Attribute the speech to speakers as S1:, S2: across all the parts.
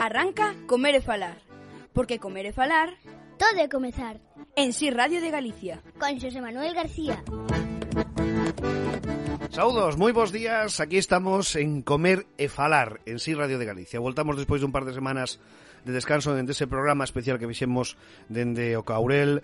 S1: Arranca Comer e Falar, porque comer e falar
S2: todo é comezar.
S1: En Si Radio de Galicia,
S2: con Xosé Manuel García.
S3: Saúdos, moi bons días. Aquí estamos en Comer e Falar en Si Radio de Galicia. Voltamos despois dun par de semanas de descanso dende ese programa especial que fixemos dende o Caurel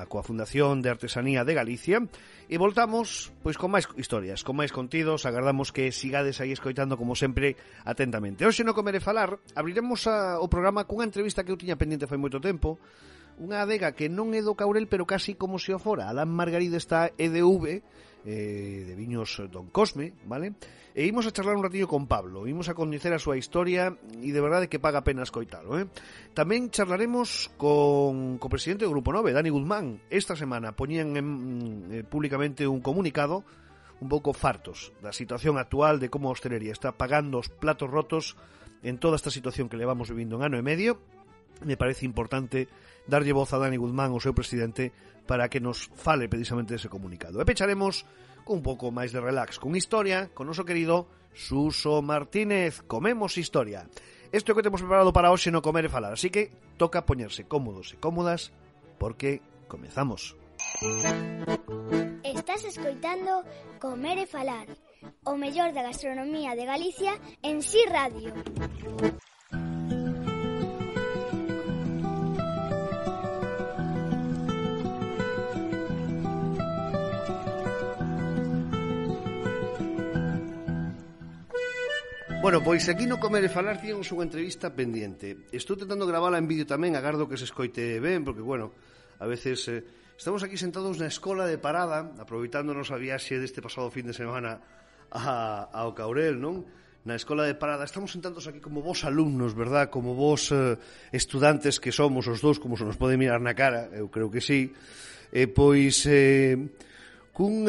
S3: coa Fundación de Artesanía de Galicia, e voltamos pois con máis historias, con máis contidos. Agardamos que sigades aí escoitando como sempre atentamente. Hoxe no Comer e Falar abriremos o programa cunha entrevista que eu tiña pendiente fai moito tempo, unha adega que non é do Caurel pero casi como se o fora. Alán Margarida está EDV de viños Don Cosme, vale? E imos a charlar un ratillo con Pablo, imos a coñecer a súa historia e de verdade que paga pena escoitalo, Tamén charlaremos con o presidente do Grupo 9, Dani Guzmán. Esta semana poñían públicamente un comunicado un pouco fartos da situación actual, de como a hostelería está pagando os platos rotos en toda esta situación que levamos vivindo un ano e medio. Me parece importante darlle voz a Dani Guzmán, o seu presidente, para que nos fale precisamente dese comunicado. E pecharemos con un pouco máis de relax, con historia, con noso querido Suso Martínez. Comemos historia. Isto é o que temos preparado para hoxe no Comer e Falar, así que toca poñerse cómodos e cómodas, porque comezamos.
S2: Estás escoitando Comer e Falar, o mellor da gastronomía de Galicia en Si Radio.
S3: Bueno, pois aquí no Comer e Falar tiñamos unha entrevista pendiente. Estou tentando gravala en vídeo tamén, agardo que se escoite ben, porque, bueno, a veces estamos aquí sentados na escola de Parada, aproveitándonos a viaxe deste pasado fin de semana ao Caurel, non? Na escola de Parada estamos sentados aquí como vos alumnos, verdad? Como vos estudantes que somos os dous, como se nos pode mirar na cara, eu creo que sí. Cun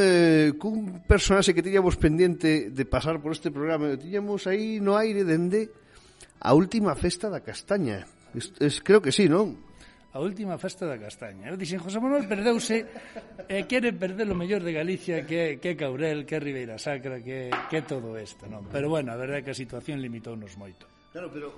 S3: personaxe que tiñamos pendiente de pasar por este programa, tiñamos aí no aire dende a última festa da castaña. Creo que sí, non?
S4: A última festa da castaña. Eu dixen, José Manuel perdeuse e quere perder o mellor de Galicia, que Caurel, que Ribeira Sacra, que todo isto, non? Pero bueno, a verdade é que a situación limitounos moito.
S3: Claro, pero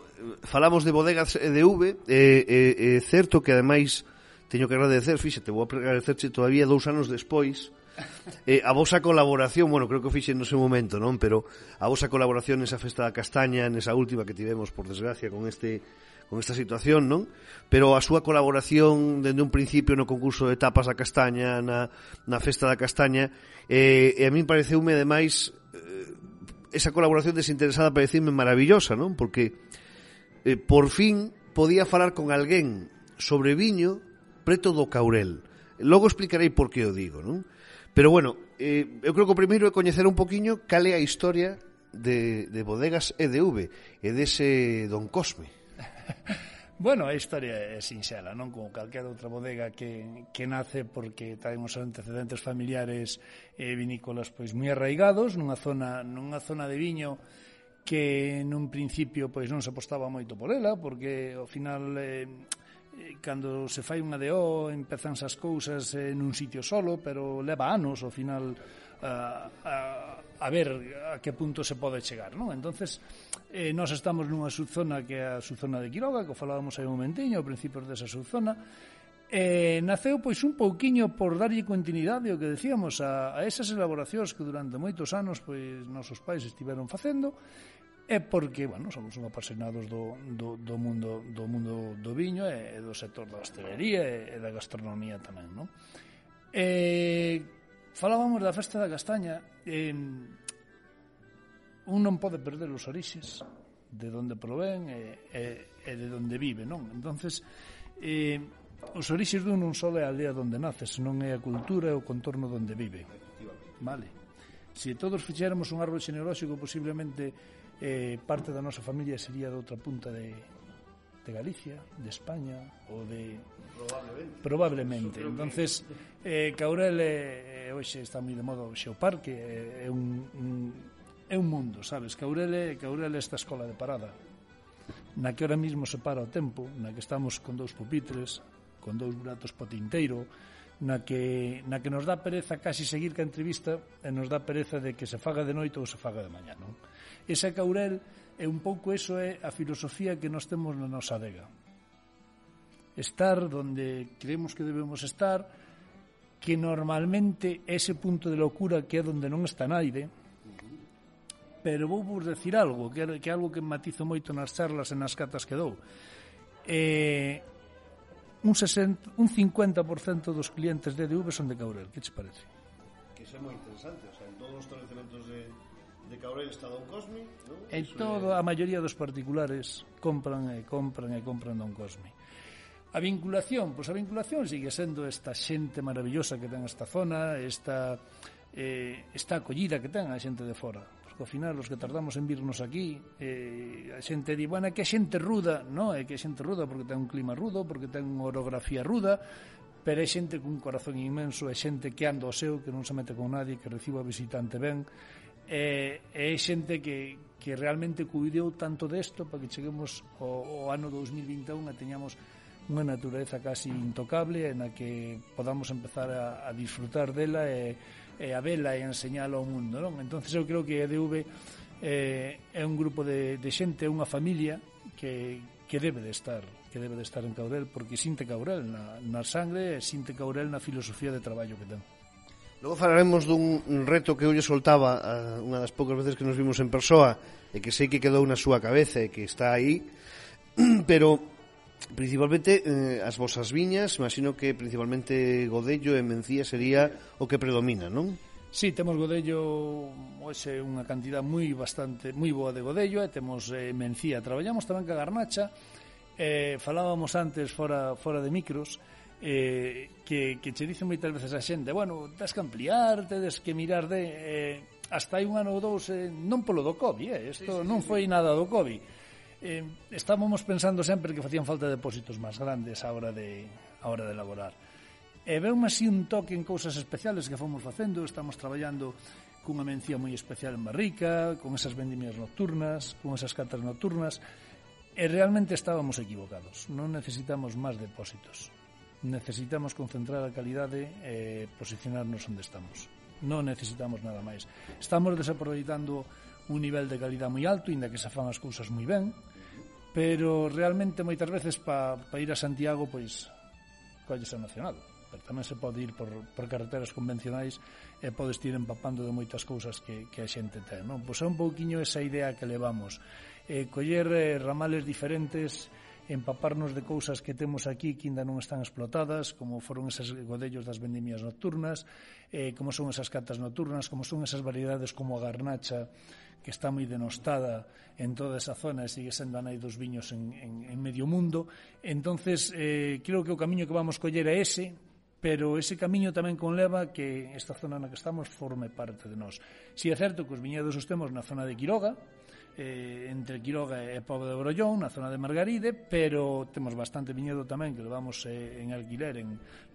S3: falamos de bodegas EDV, é certo que ademais teño que agradecer, fíxate, vou agradecerche todavía 2 anos despois, a vosa colaboración, bueno, creo que o fixen no seu momento, non? Pero a vosa colaboración nesa festa da castaña, nesa última que tivemos, por desgracia, con esta situación, non? Pero a súa colaboración dende un principio no concurso de tapas da castaña, na festa da castaña, e a min pareceume, ademais, esa colaboración desinteresada pareceume maravillosa, non? Porque por fin podía falar con alguén sobre viño preto do Caurel. Logo explicarei por que o digo, non? Pero bueno, eu creo que o primeiro é coñecer un poquinho cal é a historia de bodegas EDV e dese Don Cosme.
S4: Bueno, a historia é sinxela, non? Como calquera outra bodega que nace porque traen os antecedentes familiares vinícolas pois moi arraigados nunha zona de viño que nun principio pois non se apostaba moito por ela, porque ao final cando se fai unha DO empezan esas cousas nun sitio solo, pero leva anos ao final a ver a que punto se pode chegar, non? Entonces nós estamos nunha subzona que é a subzona de Quiroga, que falábamos aí un momentiño ao principio desa subzona, naceu pois un pouquiño por darlle continuidade o que decíamos a esas elaboracións que durante moitos anos pois nosos pais estiveron facendo. É porque, bueno, somos uns apasionados do mundo do viño e do sector da hostelería e da gastronomía tamén, non? Falábamos da festa da castaña, un non pode perder os orixes de onde provén e de onde vive, non? Entonces, os orixes dun non só é a aldea onde nace, senón é a cultura e o contorno onde vive. Vale. Se todos fixéramos un árbol xenealóxico, posiblemente parte da nosa familia sería de outra punta de Galicia, de España ou de... Probablemente. Entonces, Caurel hoxe está moi de moda o Xeoparque, é un mundo, sabes? Caurel é esta escola de Parada, na que ahora mismo se para o tempo, na que estamos con 2 pupitres, con 2 buratos po tinteiro, na que nos dá pereza casi seguir ca entrevista e nos dá pereza de que se faga de noite ou se faga de mañá, non? Esa Caurel E un pouco eso é a filosofía que nós temos na nosa adega. Estar donde creemos que debemos estar, que normalmente ese punto de locura que é donde non está naide, pero vou vos decir algo, que é algo que matizo moito nas charlas e nas catas que dou. Un 50% dos clientes de EDV son de Caurel, que te parece?
S3: Que iso é moi interesante, o sea, en todos os estabelecementos de Caurel está Don Cosme, non?
S4: En todo, a maioría dos particulares compran Don Cosme. A vinculación, pois a vinculación sigue sendo esta xente maravillosa que ten esta zona, esta acollida que ten a xente de fora. Porque ao final, os que tardamos en virnos aquí, a xente di, bueno, é que a xente ruda, non, é que a xente ruda porque ten un clima rudo, porque ten unha orografía ruda, pero é xente cun corazón inmenso, é xente que anda ao seu, que non se mete con nadie, que reciba visitante ben, é xente que realmente cuidou tanto desto para que cheguemos ao ano 2021 e teñamos unha natureza casi intocable na que podamos empezar a disfrutar dela e a vela e a enseñala ao mundo, non? Entonces eu creo que EDV é un grupo de xente, unha familia que debe de estar en Caurel, porque sinte Caurel na sangre e sinte Caurel na filosofía de traballo que ten.
S3: Logo falaremos dun reto que eu lle soltaba unha das poucas veces que nos vimos en persoa e que sei que quedou na súa cabeza e que está aí, pero principalmente as vosas viñas, imagino que principalmente Godello e Mencía sería o que predomina, non?
S4: Sí, temos Godello, hoxe unha cantidad moi boa de Godello, e temos Mencía. Traballamos tamén ca garnacha, falábamos antes fora de micros, que che dicen moitas veces a xente, bueno, tens que ampliar, tens que mirar hasta hai un ano ou dous, non polo do COVID, isto non foi nada do COVID. Estábamos pensando sempre que facían falta depósitos máis grandes a hora de elaborar. E veume así un toque en cousas especiales que fomos facendo. Estamos traballando cunha Mencía moi especial en barrica, con esas vendimias nocturnas, con esas catas nocturnas, e realmente estábamos equivocados. Non necesitamos máis depósitos. Necesitamos concentrar a calidade e posicionarnos onde estamos. Non necesitamos nada máis. Estamos desaproveitando un nivel de calidad moi alto, inda que se fan as cousas moi ben, pero realmente moitas veces para ir a Santiago, pois colles a Nacional, pero tamén se pode ir por carreteras convencionais e podes ir empapando de moitas cousas que a xente ten, non? Pois é un pouquiño esa idea que levamos, coller ramales diferentes, empaparnos de cousas que temos aquí que ainda non están explotadas, como foron esos godellos das vendimias nocturnas, como son esas catas nocturnas, como son esas variedades como a garnacha, que está moi denostada en toda esa zona e sigue sendo a nai dos viños en medio mundo. Entonces, creo que o camiño que vamos coller é ese, pero ese camiño tamén conleva que esta zona na que estamos forme parte de nós. Si é certo que os viñedos os temos na zona de Quiroga, entre Quiroga e Pobo de Brollón, na zona de Margaride, pero temos bastante viñedo tamén que levamos en alquiler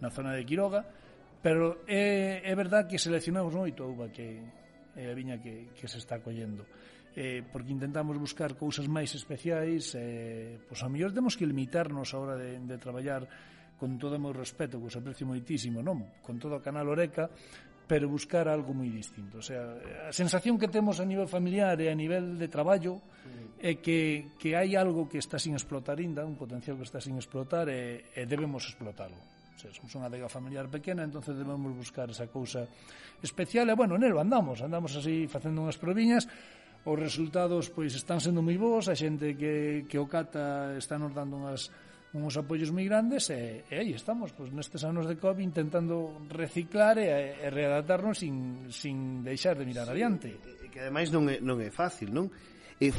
S4: na zona de Quiroga, pero é verdad que seleccionamos moito a uva que é a viña que se está collendo, porque intentamos buscar cousas máis especiais, pois a mellor temos que limitarnos a hora de traballar con todo o meu respeto, que os aprecio moitísimo, non? Con todo o canal Oreca, pero buscar algo moi distinto. O sea, a sensación que temos a nivel familiar e a nivel de traballo é que hai algo que está sin explotar ainda, un potencial que está sin explotar e debemos explotarlo. O sea, somos unha adega familiar pequena, entonces debemos buscar esa cousa especial e, bueno, nelo andamos así facendo unhas proviñas. Os resultados, pois, están sendo moi bons, a xente que o cata está nos dando uns apoios moi grandes e aí estamos, pois, nestes anos de COVID intentando reciclar e readaptarnos sin deixar de mirar adiante.
S3: Que ademais non é fácil, non?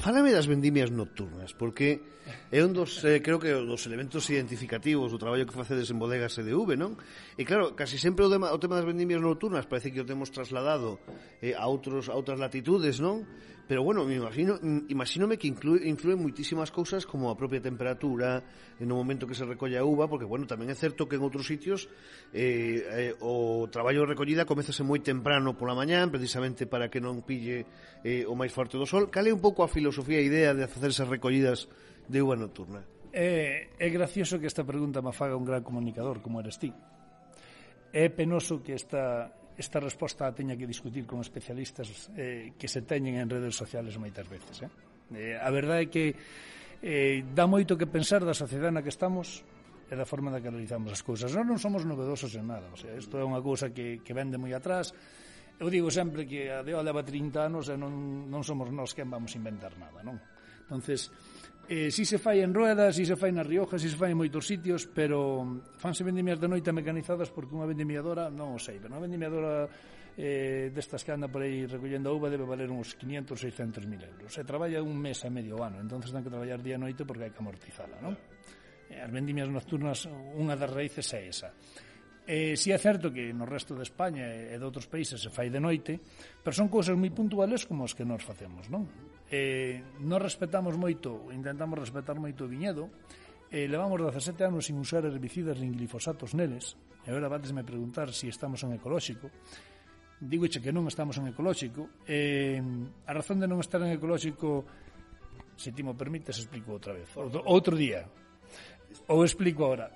S3: Fálame das vendimias nocturnas, porque é un dos, creo que dos elementos identificativos do traballo que facedes en bodegas EDV, non? E claro, casi sempre o tema das vendimias nocturnas parece que o temos trasladado a outras latitudes, non? Pero bueno, imagínome que influen moitísimas cousas como a propia temperatura no momento que se recolle a uva, porque bueno, tamén é certo que en outros sitios o traballo de recollida comezase moi temprano pola mañán, precisamente para que non pille o máis forte do sol. Cal é un pouco a filosofía e idea de facer esas recollidas de uva nocturna?
S4: É gracioso que esta pregunta me faga un gran comunicador como eres ti. É penoso que esta resposta a teña que discutir con especialistas que se teñen en redes sociales moitas veces. A verdade é que dá moito que pensar da sociedade na que estamos e da forma na que realizamos as cousas. Nós non somos novedosos en nada, o sea, isto é unha cousa que vende moi atrás. Eu digo sempre que a DEO leva 30 anos e non somos nós quen vamos inventar nada, non? Entonces, si se fai en Rueda, si se fai na Rioja, si se fai en moitos sitios, pero fanse vendimias de noite mecanizadas porque unha vendimiadora, non o sei, pero unha vendimiadora destas que anda por aí recollendo a uva debe valer uns 500, 600 mil euros. Se traballa un mes e medio ano, entonces ten que traballar día e noite porque hai que amortizala, non? As vendimias nocturnas, unha das raíces é esa. Si é certo que no resto de España e de outros países se fai de noite, pero son cousas moi puntuales como as que nós facemos, non? Nós respetamos moito, intentamos respetar moito o viñedo, levamos 17 anos sin usar herbicidas nin glifosatos neles, e agora vatesme preguntar se estamos en ecolóxico. Dígoche que non estamos en ecolóxico. A razón de non estar en ecolóxico, se ti mo permites, explico outra vez, outro día, ou explico agora.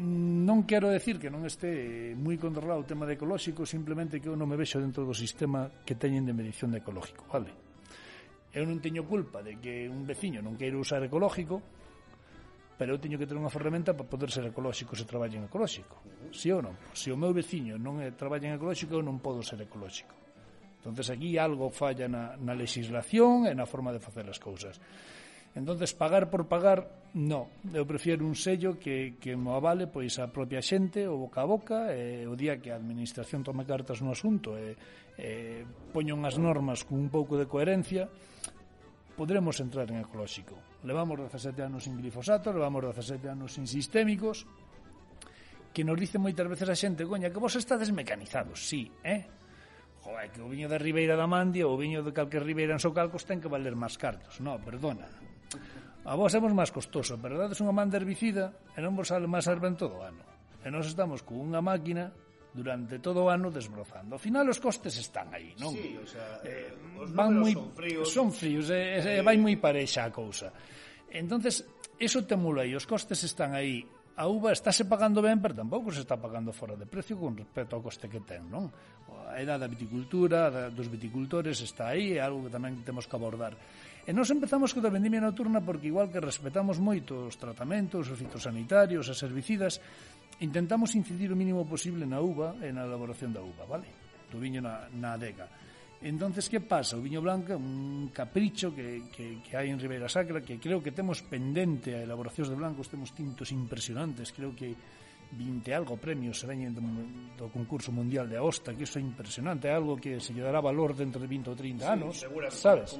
S4: Non quero decir que non este moi controlado o tema de ecolóxico, simplemente que eu non me vexo dentro do sistema que teñen de medición de ecológico, vale? Eu non teño culpa de que un veciño non queira usar ecológico, pero eu teño que ter unha ferramenta para poder ser ecolóxico se traballa en ecolóxico. Si ou non? Se o meu veciño non traballa en ecolóxico, eu non podo ser ecolóxico. Entonces aquí algo falla na legislación e na forma de facer as cousas. Entonces, pagar por pagar, no. Eu prefiero un sello que mo avale pois a propia xente, o boca a boca, e o día que a administración tome cartas no asunto e poñan as normas con un pouco de coherencia, podremos entrar en ecolóxico. Levamos 17 anos sin glifosato, levamos 17 anos sin sistémicos, que nos dice moitas veces a xente, coña, que vos estades mecanizados, sí, joder, que o viño da Ribeira da Mandia ou o viño de calquer Ribeira en Socalcos ten que valer máis cartos. No, perdona. A vos é máis costoso, pero dades unha man de herbicida e non vos sale máis erva en todo o ano. E nós estamos con unha máquina durante todo o ano desbrozando. Ao final os costes están aí, non?
S3: Sí, o sea, os
S4: van moi
S3: números
S4: son fríos e vai moi parexa a cousa. Entonces, eso temula aí, os costes están aí. A uva estáse pagando ben, pero tampouco se está pagando fora de precio con respecto ao coste que ten, non? A edad da viticultura, dos viticultores está aí, é algo que tamén temos que abordar. E nós empezamos co da vendimia nocturna porque igual que respetamos moito os tratamentos, os fitosanitarios, as herbicidas, intentamos incidir o mínimo posible na uva e na elaboración da uva, vale? Do viño na adega. Entonces, que pasa? O viño blanco é un capricho que hai en Ribeira Sacra, que creo que temos pendente a elaboracións de blancos, temos tintos impresionantes, creo que 20 algo premios se veñen do concurso mundial de Aosta, que iso é impresionante, é algo que se lle dará valor dentro de 20 ou 30 anos, sabes?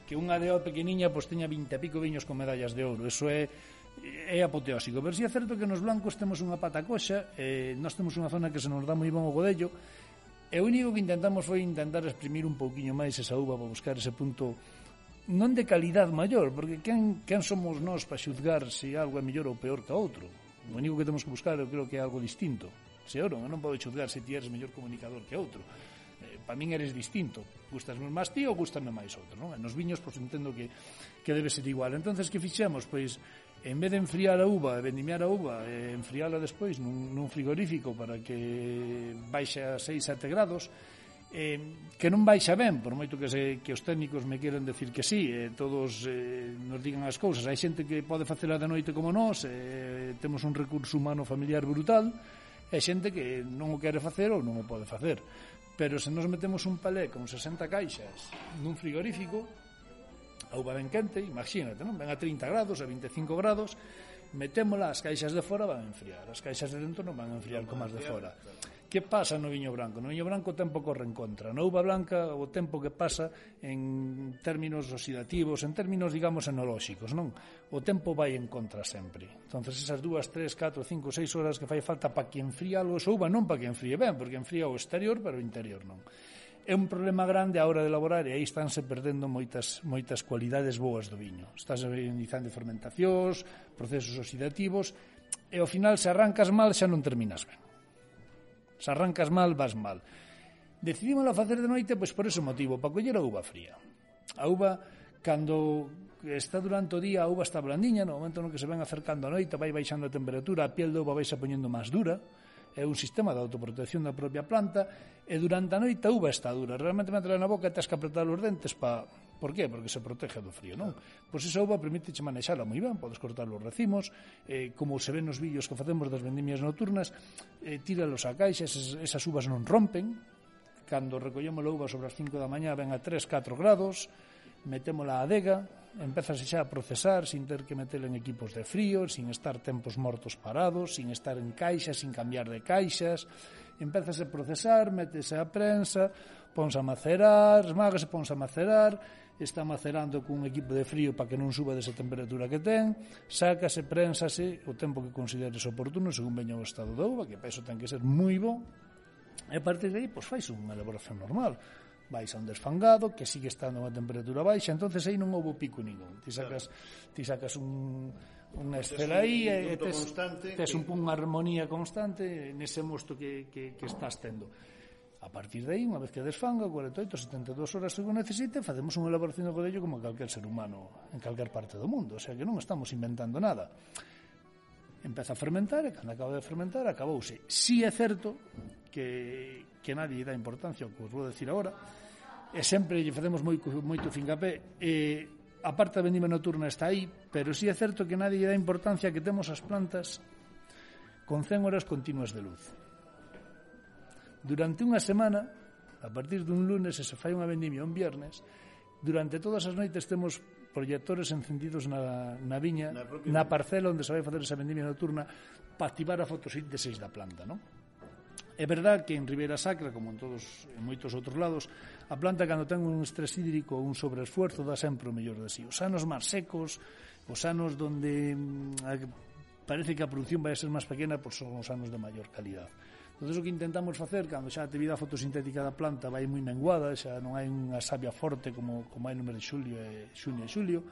S4: Que unha DO pequeniña pois teña 20 e pico viños con medallas de ouro, eso é apoteósico, pero si é certo que nos blancos temos unha pata coxa, nós temos unha zona que se nos dá moi bon o godello, e o único que intentamos foi intentar exprimir un pouquiño máis esa uva para buscar ese punto non de calidad maior, porque quen somos nós para xuzgar se algo é mellor ou peor que outro? O único que temos que buscar eu creo que é algo distinto. Se eu non podo xuzgar se ti eres mellor comunicador que outro. Para min eres distinto. Gustasme máis ti ou gustame máis outro, non? E nos viños pois entendo que debe ser igual. Entonces que fixemos? Pois en vez de enfriar a uva e vendimiar a uva e enfriala despois nun frigorífico para que baixe a 6-7 grados, que non baixa ben, por moito que os técnicos me queren decir que sí, todos nos digan as cousas. Hai xente que pode facela de noite como nós, temos un recurso humano familiar brutal, e xente que non o quere facer ou non o pode facer. Pero se nos metemos un palé con 60 caixas nun frigorífico, a uva ben quente, imagínate, non? Ven a 30 grados, a 25 grados, metémola, as caixas de fora van a enfriar, as caixas de dentro non van a enfriar como as de fora. Que pasa no viño branco? No viño branco o tempo corre en contra. Na uva blanca o tempo que pasa en términos oxidativos, en términos, digamos, enolóxicos, non? O tempo vai en contra sempre. Entonces esas 2, 3, 4, 5, 6 horas que fai falta para que enfríe algo esa uva, non para que enfríe ben, porque enfría o exterior, pero o interior non. É un problema grande a hora de elaborar e aí estánse perdendo moitas cualidades boas do viño. Estás iniciando fermentacións, procesos oxidativos, e ao final se arrancas mal xa non terminas ben. Se arrancas mal, vas mal. Decidimos a facer de noite pois por ese motivo, para coller a uva fría. A uva, cando está durante o día, a uva está blandiña, no momento no que se ven acercando a noite, vai baixando a temperatura, a piel da uva vai se poñendo máis dura, é un sistema de autoprotección da propia planta, e durante a noite a uva está dura. Realmente meterla na boca e tens que apretar os dentes para Por qué? Porque se protege do frío, non? Pois esa uva permite manexala moi ben, podes cortar os racimos, como se ven nos vídeos que facemos das vendimias nocturnas, tíralos á caixa, esas uvas non rompen, cando recollemos a uva sobre as 5 da mañá ven a 3-4 grados, metémola á adega, empezase xa a procesar sin ter que metela en equipos de frío, sin estar tempos mortos parados, sin estar en caixas, sin cambiar de caixas, empezase a procesar, métese a prensa, ponse a macerar, esmágase, ponse a macerar, está macerando cun equipo de frío para que non suba desa temperatura que ten, sácase, prénsase o tempo que consideres oportuno según veña o estado da uva, que para iso ten que ser moi bo, e a partir de aí, pois fais unha elaboración normal. Vais a un desfangado que sigue estando a unha temperatura baixa, entonces aí non houve pico ningún. Ti sacas unha estela aí e tes unha armonía constante nese mosto que estás tendo. A partir de aí, unha vez que desfanga, 48, 72 horas según necesite, facemos unha elaboración de godello como calquer ser humano en calquer parte do mundo, o sea que non estamos inventando nada. Empeza a fermentar e cando acaba de fermentar acabouse. Si é certo que nadie dá importancia ao que vos vou decir agora, e sempre lle facemos moito fincapé, a parte da vendima nocturna está aí, pero si é certo que nadie dá importancia que temos as plantas con 100 horas continuas de luz. Durante unha semana, a partir dun lunes, se fai unha vendimia un viernes, durante todas as noites temos proyectores encendidos na viña, na parcela onde se vai facer esa vendimia nocturna para activar a fotosíntesis da planta, non? É verdad que en Ribeira Sacra, como en moitos outros lados, a planta cando ten un estrés hídrico ou un sobreesfuerzo dá sempre o mellor de si. Os anos máis secos, os anos donde parece que a produción vai ser máis pequena, pois son os anos de maior calidad. Entón, o que intentamos facer, cando xa a actividade fotosintética da planta vai moi menguada, xa non hai unha savia forte como hai no mes de xulio e xulio,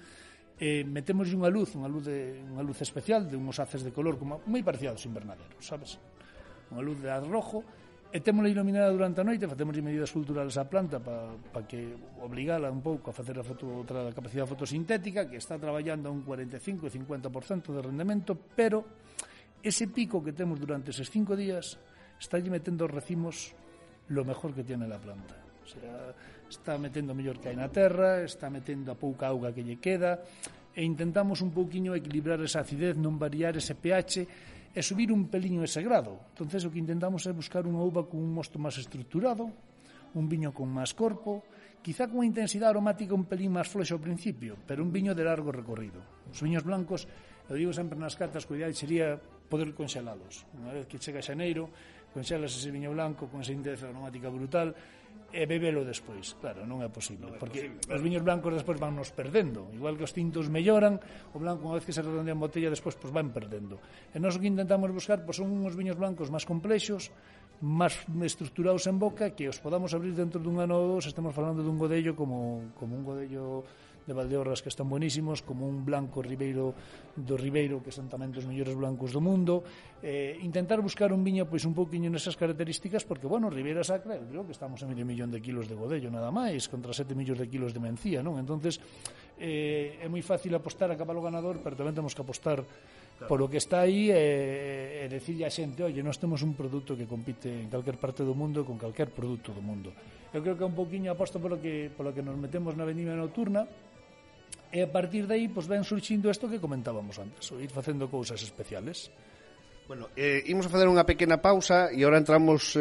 S4: metemos unha luz especial de unhos haces de color como moi parecidos aos invernaderos, sabes? Unha luz de rojo, e témola iluminada durante a noite, facemos medidas culturales á planta para que obligala un pouco a facer outra capacidade fotosintética, que está traballando a un 45 e 50% de rendemento, pero ese pico que temos durante eses 5 días está metendo os racimos lo mejor que tiene la planta. O sea, está metendo o mellor que hai na terra, está metendo a pouca auga que lle queda, e intentamos un pouquiño equilibrar esa acidez, non variar ese pH, e subir un peliño ese grado. Entonces o que intentamos é buscar unha uva con un mosto máis estruturado, un viño con máis corpo, quizá con unha intensidade aromática un pelín máis floxa ao principio, pero un viño de largo recorrido. Os viños blancos, eu digo sempre nas cartas, que o ideal sería poder conxelalos. Unha vez que chega xaneiro, conxelas ese viño blanco con esa intensidade aromática brutal e bebelo despois. Claro, non é posible, porque os viños blancos despois van nos perdendo, igual que os tintos melloran, o blanco unha vez que se redondea en botella despois pues van perdendo. E nós o que intentamos buscar pues, son uns viños blancos máis complexos, máis estructurados en boca, que os podamos abrir dentro dun ano ou dos. Estamos falando dun godello como un godello de Valdeorras que están buenísimos, como un blanco do Ribeiro, que son tamén dos mellores blancos do mundo. Intentar buscar un viño pois un pouquiño nesas características, porque, bueno, Ribeira Sacra, eu creo que estamos a medio millón de kilos de godello nada máis, contra 7 millóns de kilos de mencía, non? Entonces, é moi fácil apostar a cabalo ganador, pero tamén temos que apostar polo que está aí e decirle a xente, oye, nós temos un produto que compite en calquer parte do mundo con calquer produto do mundo. Eu creo que é un pouquiño aposto polo que nos metemos na vendimia nocturna, e a partir de aí pues, ven surxindo isto que comentábamos antes, o ir facendo cousas especiales.
S3: Bueno, imos a fazer unha pequena pausa e agora entramos,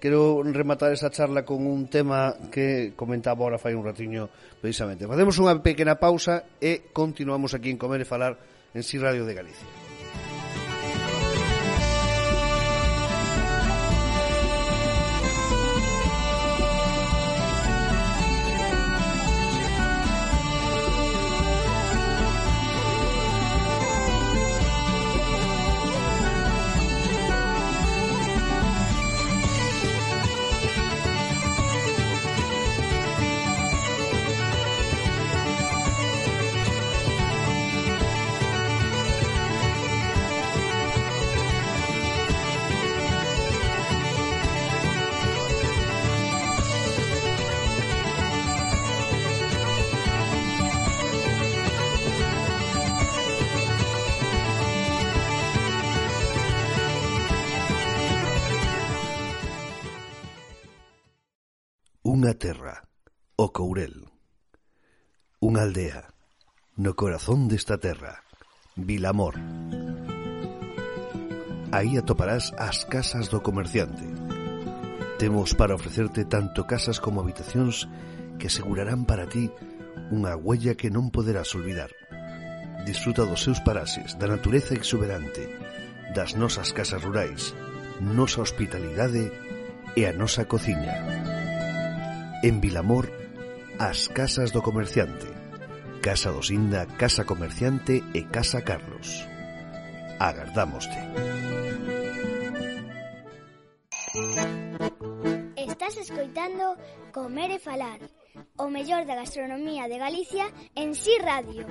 S3: quero rematar esa charla con un tema que comentaba agora fai un ratiño precisamente. Facemos unha pequena pausa e continuamos aquí en Comer e Falar en Si Radio de Galicia. Unha terra, o Courel. Unha aldea no corazón desta terra, Vilamor. Aí atoparás as casas do comerciante. Temos para ofrecerte tanto casas como habitacións que asegurarán para ti unha huella que non poderás olvidar. Disfruta dos seus paraxes, da natureza exuberante, das nosas casas rurais, nosa hospitalidade e a nosa cociña. En Vilamor, as casas do comerciante. Casa do Sinda, Casa Comerciante e Casa Carlos. Agardámoste.
S2: Estás escoitando Comer e Falar, o mellor da gastronomía de Galicia en Si Radio.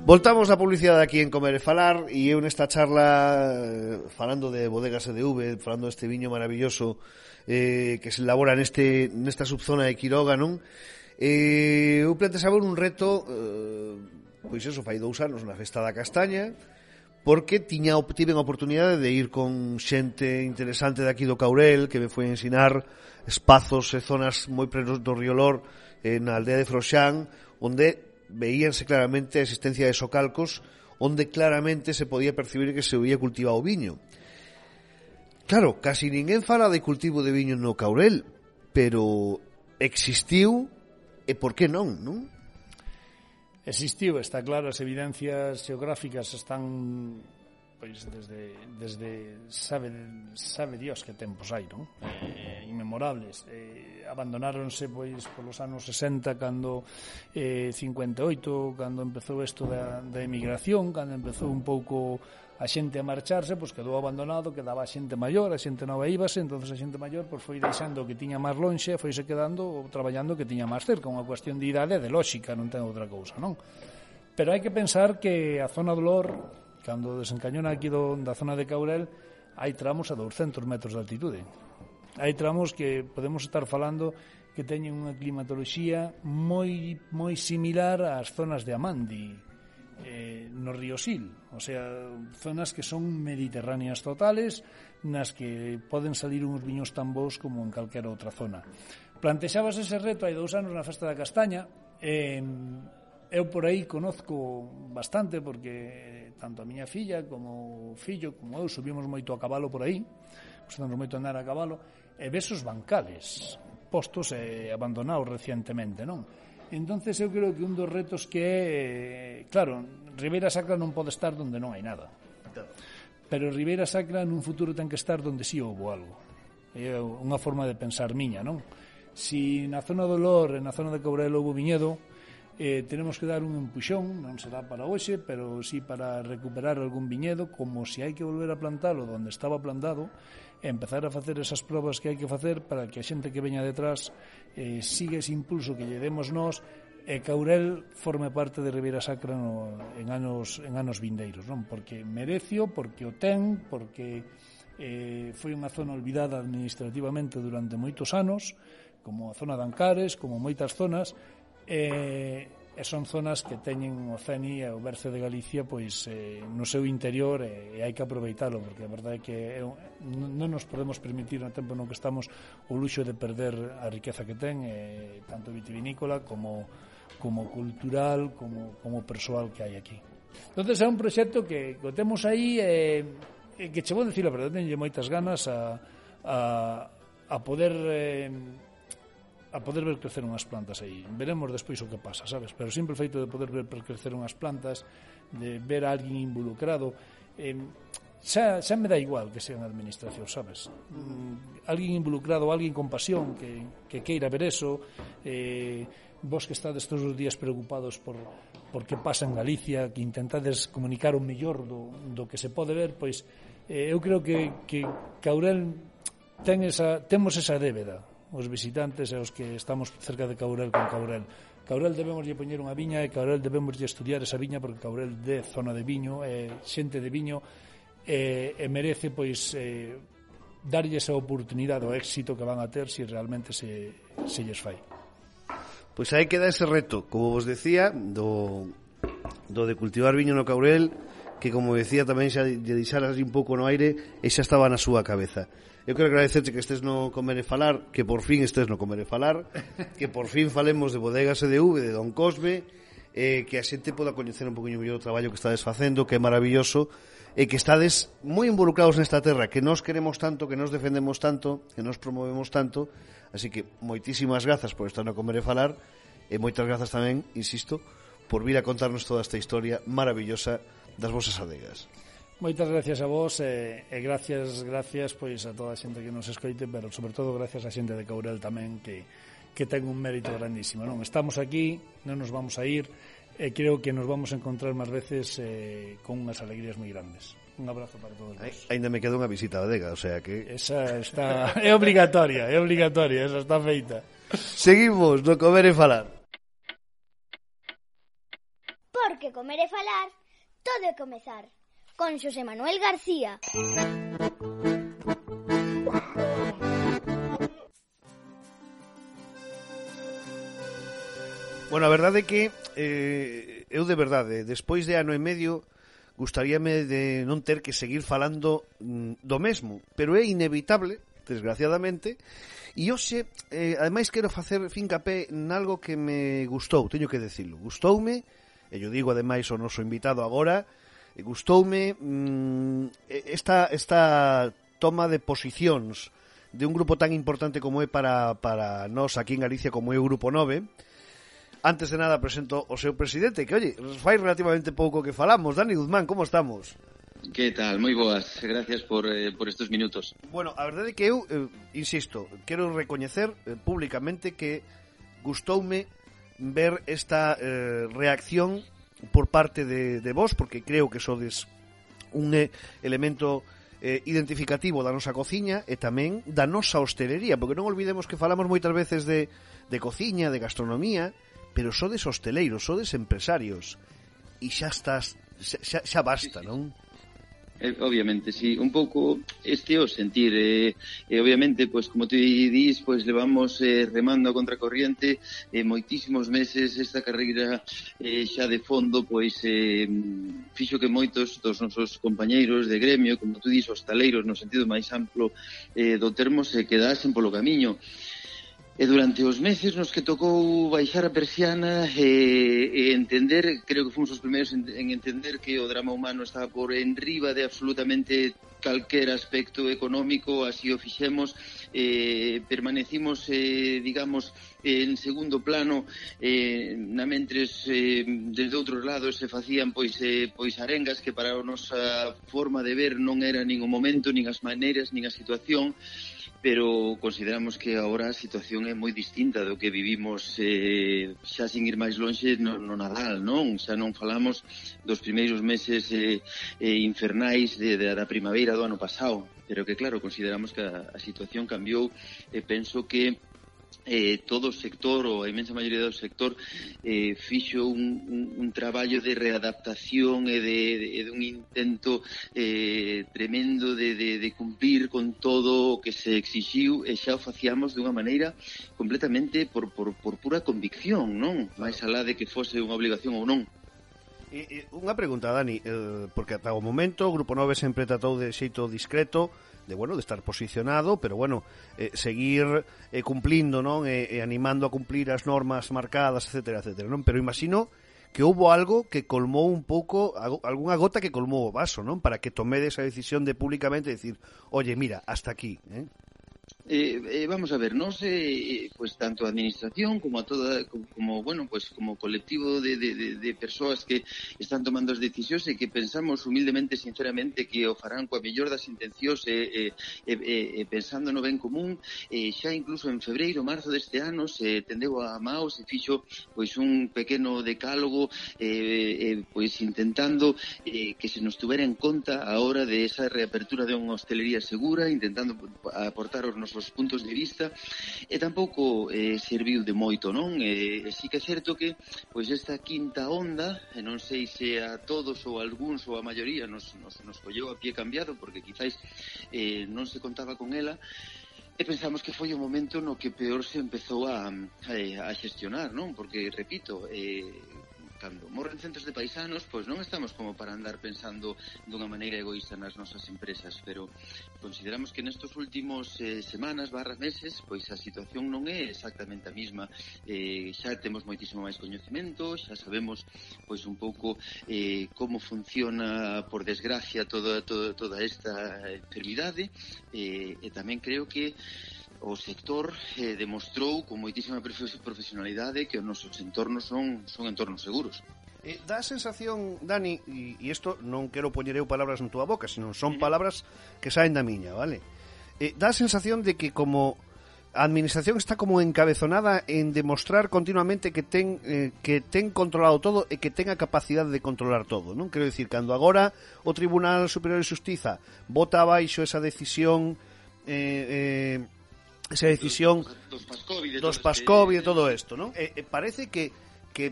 S3: Voltamos a publicidade aquí en Comer e Falar e eu nesta charla falando de bodegas EDV, falando deste viño maravilloso que se elabora nesta subzona de Quiroga, non? Eu plantexaba un reto pois eso, fai 2 anos na Festa da Castaña, porque tiven a oportunidade de ir con xente interesante de aquí do Caurel que me foi a ensinar espazos e zonas moi prenos do Río Lor na aldea de Froxán, onde veíanse claramente a existencia de socalcos onde claramente se podía percibir que se había cultivado viño. Claro, casi ninguén fala de cultivo de viño no Caurel, pero existiu e por que non, non?
S4: Existiu, está claro, as evidencias xeográficas están pois desde sabe Dios que tempos hai, non? Inmemorables. Abandonáronse pois polos anos 60 cando 58, cando empezou isto da emigración, cando empezou un pouco a xente a marcharse, pois quedou abandonado, quedaba a xente maior, a xente nova íbase, entonces a xente maior pois foi deixando que tiña máis lonxe, foise quedando ou traballando que tiña máis cerca, unha cuestión de idade e de lógica, non ten outra cousa, non? Pero hai que pensar que a zona do Lor, cando desencañona aquí da zona de Caurel, hai tramos a 200 metros de altitude. Hai tramos que podemos estar falando que teñen unha climatoloxía moi similar ás zonas de Amandi, no río Sil, o sea, zonas que son mediterráneas totales, nas que poden salir uns viños tan bons como en calquera outra zona. Plantexabas ese reto hai 2 anos na Festa da Castaña. Eu por aí conozco bastante porque tanto a miña filla como o fillo como eu subimos moito a cabalo por aí, gustamos moito andar a cabalo, e ves os bancales postos e abandonados recientemente, non? Entonces eu creo que un dos retos que é, claro, Ribeira Sacra non pode estar onde non hai nada, pero Ribeira Sacra nun futuro ten que estar onde sí houbo algo. É unha forma de pensar miña, non? Si na zona do Lor e na zona de Caurel houbo viñedo, tenemos que dar un empuxón, non será para hoxe, pero sí para recuperar algún viñedo, como se hai que volver a plantalo onde estaba plantado, e empezar a facer esas probas que hai que facer para que a xente que veña detrás siga ese impulso que lle demos nós e Caurel forme parte de Ribeira Sacra en anos vindeiros, non? Porque merecio, porque o ten, porque foi unha zona olvidada administrativamente durante moitos anos, como a zona de Ancares, como moitas zonas, e son zonas que teñen o CENI e o Berce de Galicia pois no seu interior e hai que aproveitalo, porque a verdade é que non nos podemos permitir no tempo no que estamos o luxo de perder a riqueza que ten, tanto vitivinícola como cultural, como persoal que hai aquí. Entón é un proxecto que o temos aí que che vou dicir a verdade, tenlle moitas ganas a poder ver crecer unhas plantas aí. Veremos despois o que pasa, sabes? Pero sempre o feito de poder ver crecer unhas plantas, de ver a alguén involucrado, xa me dá igual que sea na administración, sabes? Alguén involucrado, alguén con pasión que queira ver eso, vos que estades todos os días preocupados por que pasa en Galicia, que intentades comunicar o mellor do que se pode ver, pois eu creo que Caurel temos esa débeda, os visitantes e os que estamos cerca de Caurel con Caurel. Caurel debemos lle poñer unha viña e Caurel debemos lle estudiar esa viña porque Caurel de zona de viño, xente de viño e merece pois darlle esa oportunidade o éxito que van a ter se realmente se lles fai.
S3: Pois aí queda ese reto, como vos decía, do de cultivar viño no Caurel, que, como decía, tamén xa lle deixaras un pouco no aire e xa estaba na súa cabeza. Eu quero agradecerte que estés no Comer e Falar, que por fin estés no Comer e Falar, que por fin falemos de Bodegas EDV, de Don Cosme, que a xente poda coñecer un poquinho mellor o traballo que estades facendo, que é maravilloso, e que estades moi involucrados nesta terra, que nos queremos tanto, que nos defendemos tanto, que nos promovemos tanto. Así que moitísimas grazas por estar no Comer e Falar, e moitas grazas tamén, insisto, por vir a contarnos toda esta historia maravillosa das vosas adegas.
S4: Moitas gracias a vos e gracias pois a toda a xente que nos escoite, pero sobre todo gracias a xente de Caurel tamén que ten un mérito grandísimo, non? Estamos aquí, non nos vamos a ir, e creo que nos vamos a encontrar máis veces con unhas alegrías moi grandes. Un abrazo para todos vos.
S3: Ainda me queda unha visita a Adega, o sea que...
S4: Esa está... é obligatoria, esa está feita.
S3: Seguimos no Comer e Falar.
S2: Porque comer e falar, todo é comezar. Con Xosé Manuel García.
S3: Bueno, a verdade é que eu de verdade, despois de ano e medio, gustaríame de non ter que seguir falando do mesmo, pero é inevitable, desgraciadamente, e hoxe, ademais, quero facer fincapé nalgo que me gustou, teño que decirlo, gustoume, e yo digo ademais ao noso invitado agora, gustoume esta toma de posicións de un grupo tan importante como é para nós aquí en Galicia como é o Grupo 9. Antes de nada presento o seu presidente, que, oye, fai relativamente pouco que falamos. Dani Guzmán, como estamos?
S5: Que tal? Moi boas, gracias por estes minutos.
S3: Bueno, a verdade é que eu, insisto, quero recoñecer públicamente que gustoume ver esta reacción por parte de vos, porque creo que sodes un elemento identificativo da nosa cociña e tamén da nosa hostelería, porque non olvidemos que falamos moitas veces de cociña, de gastronomía, pero sodes hosteleiros, sodes empresarios, e xa basta, non?
S5: Obviamente, sí, un pouco este o sentir, obviamente, pois como tú dís, pois levamos remando a contracorriente moitísimos meses. Esta carreira xa de fondo, pois fixo que moitos dos nosos compañeiros de gremio, como tú dís, hostaleiros no sentido máis amplo do termo, se quedasen polo camiño. E durante os meses nos que tocou baixar a persiana e entender, creo que fomos os primeiros en entender que o drama humano estaba por enriba de absolutamente calquer aspecto económico, así o fixemos, permanecimos, digamos, en segundo plano, na mentres desde outros lados se facían pois arengas que para a nosa forma de ver non era nin o momento, nin as maneiras, nin a situación, pero consideramos que agora a situación é moi distinta do que vivimos xa sin ir máis lonxe no Nadal, non? Xa non falamos dos primeiros meses infernais da primavera do ano pasado, pero que claro, consideramos que a situación cambiou e penso que todo o sector, ou a imensa maioría do sector, fixo un traballo de readaptación e de un intento tremendo de cumplir con todo o que se exixiu, e xa o facíamos dunha maneira completamente por pura convicción, non? Mais alá de que fose unha obligación ou non.
S3: Unha pregunta, Dani, porque ata o momento o Grupo 9 sempre tratou de xeito discreto de estar posicionado, pero seguir cumplindo, non? E animando a cumplir as normas marcadas, etcétera, non? Pero imagino que houbo algo que colmou un pouco, algunha gota que colmou o vaso, non? Para que tomedes a decisión de públicamente decir, oye, mira, hasta aquí,
S5: vamos a ver, nós pues tanto a administración como a toda como colectivo de persoas que están tomando as decisións e que pensamos humildemente, sinceramente, que o farán coa mellor das intencións pensando no ben común. Xa incluso en febreiro, marzo deste ano se tendeu a mao, se fixo pois un pequeno decálogo pois intentando que se nos tuvera en conta a hora de esa reapertura de unha hostelería segura, intentando aportar os nosos puntos de vista, e tampouco serviu de moito, non? Si que é certo que pois esta quinta onda, non sei se a todos ou a algúns ou a maioría nos colleu a pie cambiado, porque quizáis non se contaba con ela, e pensamos que foi o momento no que peor se empezou a xestionar, non? Porque, repito, cando morren centos de paisanos, pois non estamos como para andar pensando dunha maneira egoísta nas nosas empresas, pero consideramos que nestos últimos semanas / meses, pois a situación non é exactamente a mesma. Xa temos moitísimo máis coñecemento, xa sabemos pois un pouco como funciona, por desgracia, toda esta enfermidade, e tamén creo que o sector demostrou con moitísima profesionalidade que os nosos entornos son entornos seguros.
S3: Dá a sensación, Dani, e isto non quero poñer eu palabras na túa boca, senón son palabras que saen da miña, vale? Dá a sensación de que como a administración está como encabezonada en demostrar continuamente que ten controlado todo e que ten a capacidade de controlar todo, non? Quero dicir, cando agora o Tribunal Superior de Xustiza bota abaixo esa decisión dos PASCOVID e todo isto, non? Parece que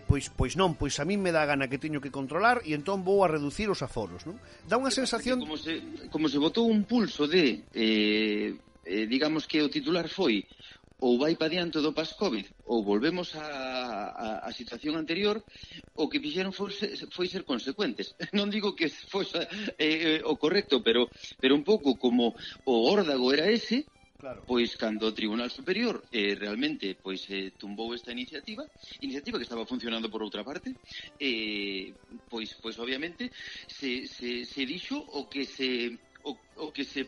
S3: pois non, pois a min me dá gana que teño que controlar e entón vou a reducir os aforos, non? Dá unha sensación
S5: como se botou un pulso de digamos que o titular foi ou vai pa diante do PASCOVID ou volvemos a situación anterior, o que fixeron foi ser consecuentes. Non digo que fosse o correcto, pero un pouco como o órdago era ese. Claro. Pois cando o Tribunal Superior realmente pois tumbou esta iniciativa que estaba funcionando por outra parte, pois obviamente se dixo o que se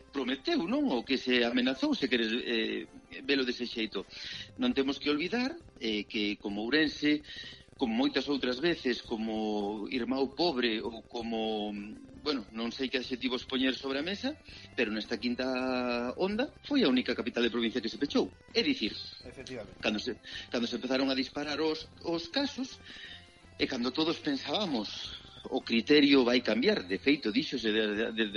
S5: prometeu, non? O que se amenazou, se queres velo dese xeito. Non temos que olvidar que como Ourense, como moitas outras veces, como Irmão Pobre ou como, bueno, non sei que adxetivos poñer sobre a mesa, pero nesta quinta onda foi a única capital de provincia que se pechou. É dicir, cando se empezaron a disparar os casos, e cando todos pensábamos o criterio vai cambiar, de feito, díxose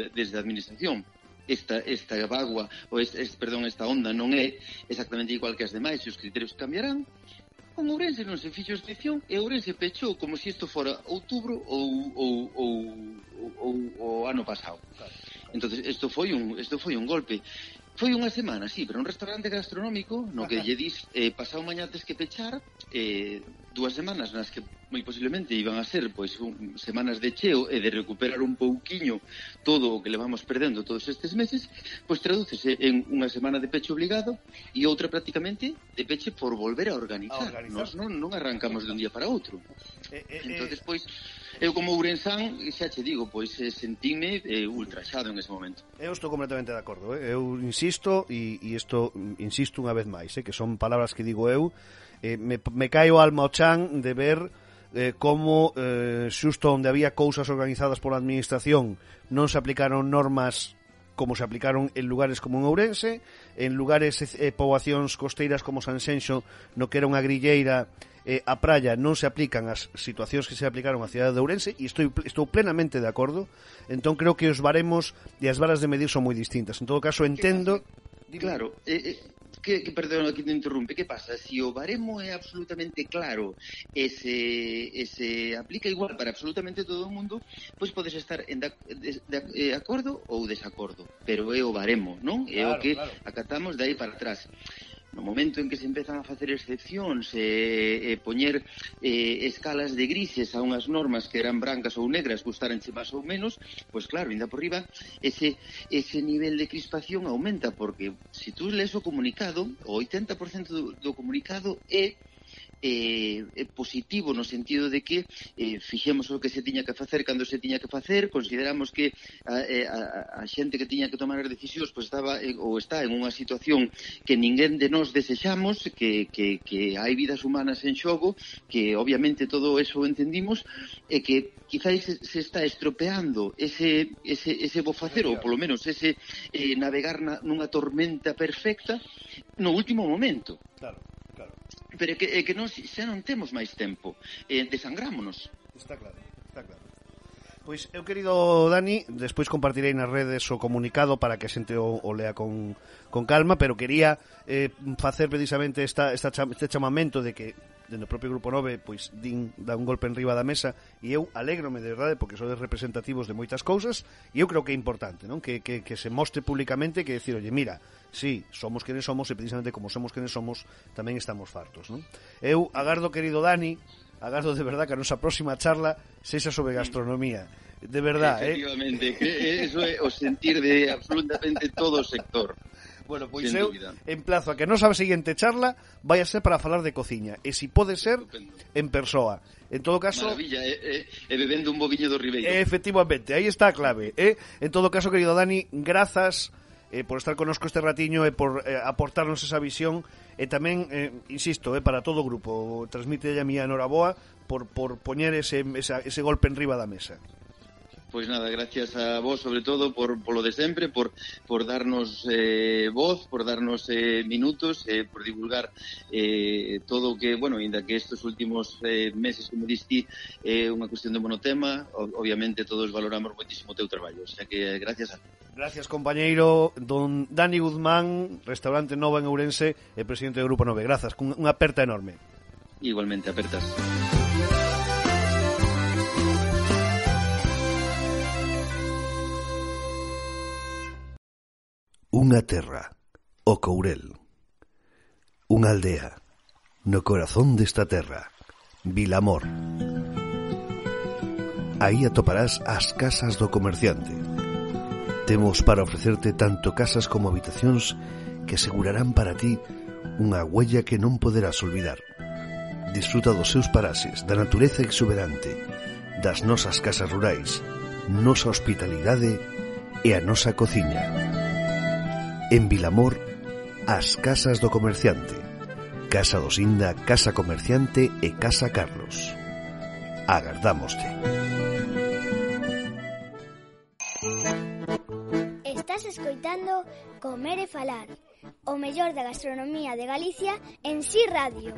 S5: desde a administración, esta bagua, esta onda non é exactamente igual que as demais e os criterios cambiarán. Con Ourense non se fixo excepción e Ourense pechou como se isto fora outubro ou ano pasado. Entonces isto foi un golpe. Foi unha semana, sí, pero un restaurante gastronómico no que lle dis pasado mañá tes que pechar, 2 semanas nas que moi posiblemente iban a ser pois semanas de cheo e de recuperar un pouquiño todo o que levamos perdendo todos estes meses, pois tradúcese en unha semana de peche obligado e outra prácticamente de peche por volver a organizar. Nós non arrancamos de un día para outro. Entonces, pois, eu como ourensán, xa che digo, pois sentíme ultraxado en ese momento.
S3: Eu estou completamente de acordo, eu insisto, e isto insisto unha vez máis, que son palabras que digo eu, me cae o alma ao chan de ver como xusto onde había cousas organizadas pola administración non se aplicaron normas como se aplicaron en lugares como en Ourense, en lugares poboacións costeiras como Sanxenxo, no que era unha grilleira, a praia non se aplican as situacións que se aplicaron á cidade de Ourense, e estou plenamente de acordo. Entón creo que os baremos e as varas de medir son moi distintas. En todo caso entendo...
S5: Claro, perdón, aquí te interrumpe. Que pasa? Si o baremo é absolutamente claro e se aplica igual para absolutamente todo o mundo, pois podes estar en de acordo ou desacordo, pero é o baremo, non? É o que acatamos de aí para atrás. No momento en que se empezan a facer excepcións e poñer escalas de grises a unhas normas que eran brancas ou negras, gustaranche máis ou menos, pois claro, ainda por riba, ese nivel de crispación aumenta, porque se tú lees o comunicado, o 80% do comunicado é positivo no sentido de que fixemos o que se tiña que facer cando se tiña que facer, consideramos que a xente que tiña que tomar as decisións pois estaba ou está en unha situación que ninguén de nós desexamos, que hai vidas humanas en xogo, que obviamente todo eso o entendimos, e que quizáis se está estropeando ese bo facer, ou polo menos ese navegar nunha tormenta perfecta no último momento.
S3: Claro.
S5: Pero é que nós xa non temos máis tempo, desangrámonos.
S3: Está claro. Pois eu, querido Dani, despois compartirei nas redes o comunicado para que a xente o lea con calma, pero quería facer precisamente este chamamento de que dentro do propio Grupo 9 pois dá un golpe en riba da mesa, e eu alégrome de verdade porque sodes representativos de moitas cousas, e eu creo que é importante, non? Que se mostre públicamente, que decir, oye, mira, sí, somos quenes somos, e precisamente como somos quenes somos tamén estamos fartos, non? Eu agardo, querido Dani, agardo de verdad que a nosa próxima charla sexa sobre gastronomía. De verdad,
S5: Efectivamente, eso é o sentir de absolutamente todo o sector.
S3: Bueno, pois eu emplazo a que a nosa seguinte charla vai a ser para falar de cociña, e si pode ser en persoa. En todo caso...
S5: Maravilla, bebendo un boviño do Ribeiro.
S3: Efectivamente, aí está a clave. En todo caso, querido Dani, grazas por estar conosco este ratiño e por aportarnos esa visión, e tamén, insisto, para todo o grupo, transmite a miña enhoraboa por poñer ese golpe en riba da mesa.
S5: Pois nada, gracias a vos sobre todo por lo de sempre, por darnos voz, por darnos minutos, por divulgar todo o que, bueno, ainda que estes últimos meses, como diste, é unha cuestión de monotema, obviamente todos valoramos moitísimo o teu traballo, o sea que gracias a ti.
S3: Gracias, compañeiro don Dani Guzmán, Restaurante Nova en Ourense e presidente do Grupo 9. Grazas, unha aperta enorme.
S5: Igualmente, apertas.
S3: Unha terra, o Courel. Unha aldea, no corazón desta terra, Vilamor. Aí atoparás as casas do comerciante. Temos para ofrecerte tanto casas como habitacións que asegurarán para ti unha huella que non poderás olvidar. Disfruta dos seus paraxes, da natureza exuberante, das nosas casas rurais, nosa hospitalidade e a nosa cociña. En Vilamor, as casas do comerciante, Casa do Sinda, Casa Comerciante e Casa Carlos. Agardámoste.
S2: Estás escoitando Comer e Falar, o mellor da gastronomía de Galicia en Si Radio.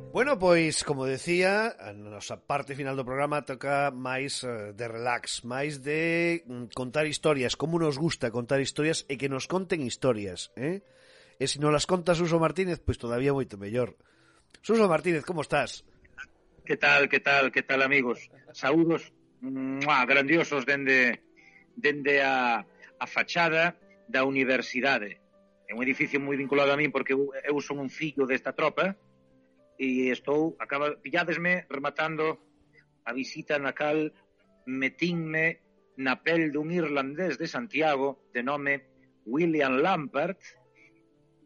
S3: Bueno, pois, como decía, a nosa parte final do programa toca máis de relax, máis de contar historias, como nos gusta contar historias e que nos conten historias, E se non las conta Suso Martínez, pois todavía moito mellor. Suso Martínez, como estás?
S6: Que tal, amigos? Saúdos grandiosos dende a fachada da universidade. É un edificio moi vinculado a min porque eu son un fillo desta tropa, e pilládesme rematando a visita na cal metínme na pel dun irlandés de Santiago de nome William Lampert,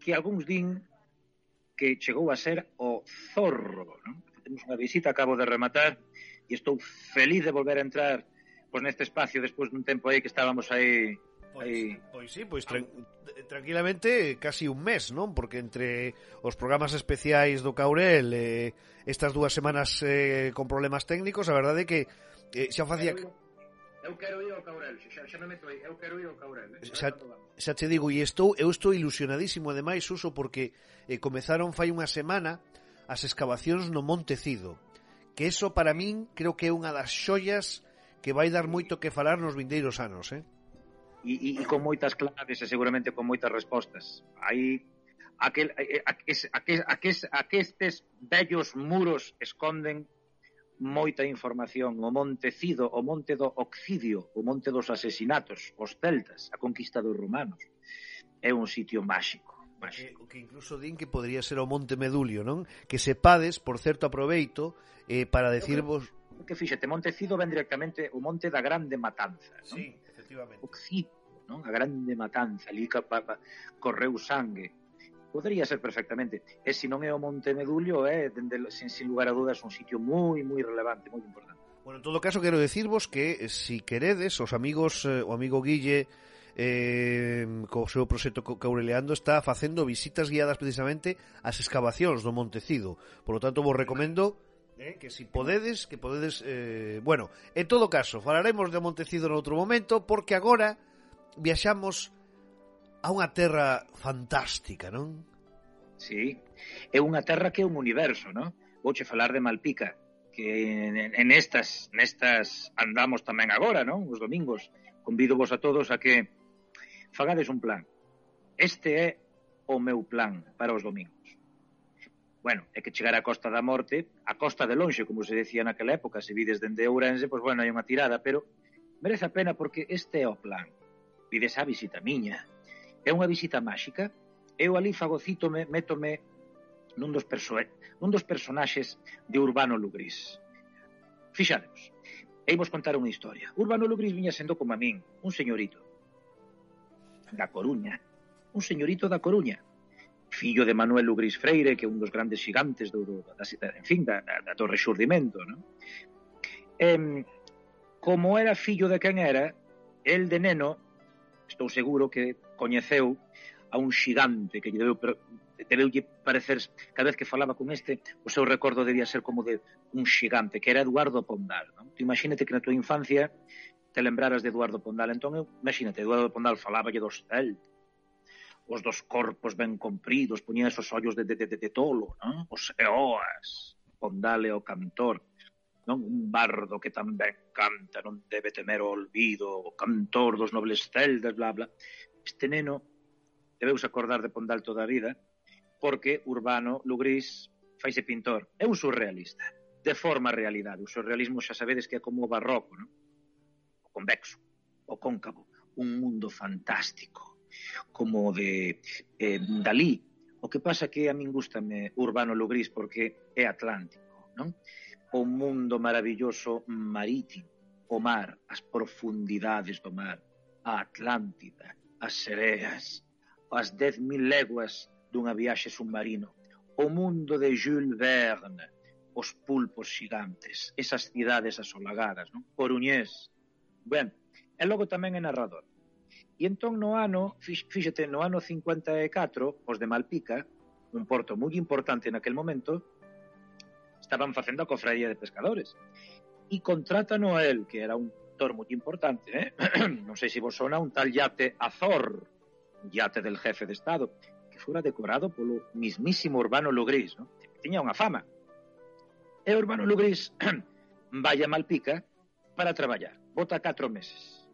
S6: que algúns din que chegou a ser o Zorro, non? Temos unha visita, acabo de rematar, e estou feliz de volver a entrar neste espacio despois dun tempo aí que estábamos aí.
S3: Pois sí, tranquilamente casi un mes, non? Porque entre os programas especiais do Caurel estas 2 semanas con problemas técnicos, a verdade é que xa facía...
S6: Eu quero ir ao Caurel, xa me meto aí, eu quero ir ao Caurel.
S3: Xa te digo, e eu estou ilusionadísimo ademais, Uso, porque comezaron fai unha semana as excavacións no Monte Cido, que eso para min creo que é unha das xoias que vai dar moito que falar nos vindeiros anos,
S6: E con moitas claves e seguramente con moitas respostas. Aí estes vellos muros esconden moita información. O Monte Cido, o Monte do Occidio, o Monte dos Asesinatos, os celtas, a conquista dos romanos. É un sitio máxico.
S3: O que incluso din que podría ser o Monte Medulio, non? Que sepades, por certo aproveito, para decirvos...
S6: Que fíxate, Monte Cido ven directamente o Monte da Grande Matanza, non?
S3: Sí, efectivamente.
S6: Occidio, non? A Grande Matanza, ali correu sangue. Podría ser perfectamente. E se non é o Monte Medulio, sin lugar a dudas, un sitio moi, moi relevante, moi importante.
S3: Bueno, en todo caso, quero decirvos que, si queredes, os amigos, o amigo Guille, co seu proxecto Caureleando, está facendo visitas guiadas precisamente ás excavacións do Monte Cido. Por lo tanto, vos recomendo que si podedes, bueno, en todo caso, falaremos de Monte Cido noutro momento, porque agora viaxamos a unha terra fantástica, non?
S6: Sí, é unha terra que é un universo, non? Vouche falar de Malpica, que en estas andamos tamén agora, non? Os domingos. Convido vos a todos a que fagades un plan. Este é o meu plan para os domingos. Bueno, é que chegar á Costa da Morte, a Costa de Lonxe, como se decía naquela época, se vides dende Ourense, pois bueno, hai unha tirada, pero merece a pena porque este é o plan. Vides a visita miña, É unha visita máxica. Eu ali fagocítome, métome nun dos personaxes de Urbano Lugrís. Fixadevos, eimos contar unha historia. Urbano Lugrís viña sendo como a min, un señorito da Coruña. Un señorito da Coruña. Fillo de Manuel Lugrís Freire, que é un dos grandes xigantes do Rexurdimento, non? Como era fillo de quen era, el de neno, estou seguro que coñeceu a un xigante que debeulle parecer, cada vez que falaba con este, o seu recordo debía ser como de un xigante, que era Eduardo Pondal, non? Tú imagínate que na tua infancia te lembraras de Eduardo Pondal, entón imagínate, Eduardo Pondal faláballe dos celtas, os dos corpos ben compridos, poñía esos ollos de tolo, non? Os eoas, Pondal é o cantor, non? Un bardo que tamén canta, non debe temer o olvido, o cantor dos nobles celtas, bla, bla. Este neno debeus acordar de Pondal toda a vida, porque Urbano Lugrís faise pintor. É un surrealista, de forma a realidade. O surrealismo xa sabedes que é como o barroco, non? O convexo, o cóncavo, un mundo fantástico, como de Dalí. O que pasa que a min gustame Urbano Lugrís porque é atlántico, non? O mundo maravilloso marítimo, o mar, as profundidades do mar, a Atlántida, as sereas, as 10.000 léguas dunha viaxe submarino, o mundo de Jules Verne, os pulpos xigantes, esas cidades asolagadas, non? Coruñés. Ben, e logo tamén é narrador. E entón no ano, fíxate, no ano 54, os de Malpica, un porto moi importante naquel momento, estaban facendo a cofradía de pescadores. E contratan a él, que era un actor moi importante, non sei se vos sona, un tal Yate Azor, un yate del jefe de Estado, que fora decorado polo mismísimo Urbano Lugrís, ¿no? Tiña unha fama. E Urbano Lugrís vai a Malpica para traballar. Bota 4 meses.